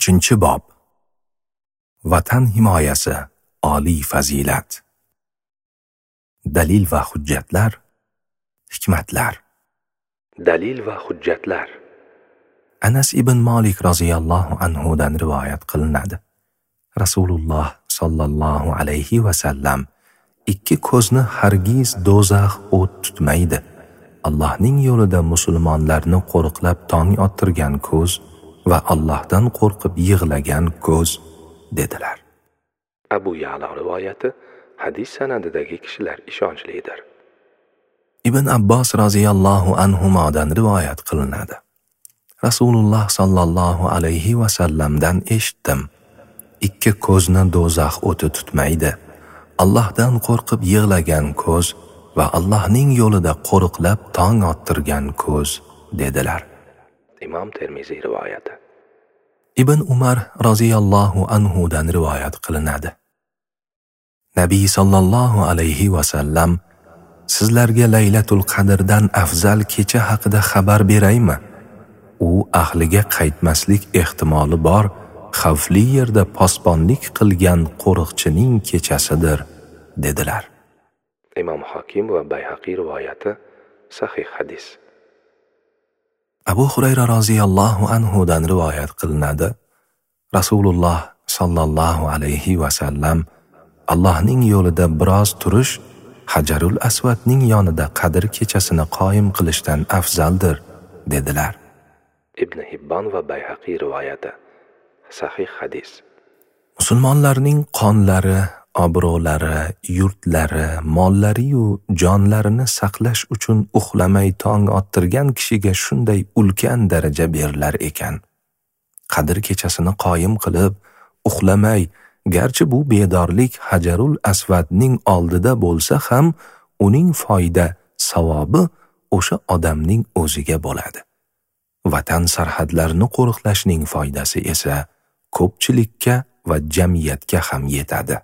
3-bob. Vatan himoyasi oliy fazilat. Dalil va hujjatlar, hikmatlar. Dalil va hujjatlar. Anas ibn Malik roziyallohu anhu dan rivoyat qilinadi. Rasululloh sallallohu alayhi va sallam: ikki ko'zni hargiz do'zax o't tutmaydi. Allohning yo'lida musulmonlarni qo'riqlab tong ottirgan ko'z va Allohdan qo'rqib yig'lagan ko'z, dedilar. Abu Ya'la rivoyati, hadis sanadidagi kishilar ishonchlidir. Ibn Abbos roziyallohu anhumodan rivoyat qilinadi. Rasululloh sallallohu alayhi va sallamdan eshitdim. Ikki ko'zni do'zax o'ti tutmaydi. Allohdan qo'rqib yig'lagan ko'z va Allohning yo'lida qo'riqlab tong ottirgan ko'z, dedilar. Imom Termiziy rivoyati. Ibn Umar roziyallohu anhu dan rivoyat qilinadi. Nabiy sallallohu alayhi va sallam: sizlarga Laylatul Qadrdan afzal kecha haqida xabar beraymi? U ahliga qaytmaslik ehtimoli bor xavfli yerda posbonlik qilgan qo'riqchining kechasidir, dedilar. Imom Hokim va Bayhaqiy rivoyati, sahih hadis. Abu Hurayra roziyallohu anhu dan rivoyat qilinadi. Rasululloh sallallohu alayhi va sallam: Allohning yo'lida biroz turish Hajarul Aswadning yonida Qadr kechasini qoyim qilishdan afzaldir, dedilar. Ibn Hibbon va Bayhaqiy rivoyati, sahih hadis. Musulmonlarning qonlari, obro'lari, yurtlari, mollari-yu jonlarini saqlash uchun uxlamay tong ottirgan kishiga shunday ulkan daraja berilar ekan. Qadr kechasini qoyim qilib, uxlamay, garchi bu bedorlik Hajarul Aswadning oldida bo'lsa ham, uning foyda, savobi o'sha odamning o'ziga bo'ladi. Vatan sarhadlarini qo'riqlashning foydasi esa ko'pchilikka va jamiyatga ham yetadi.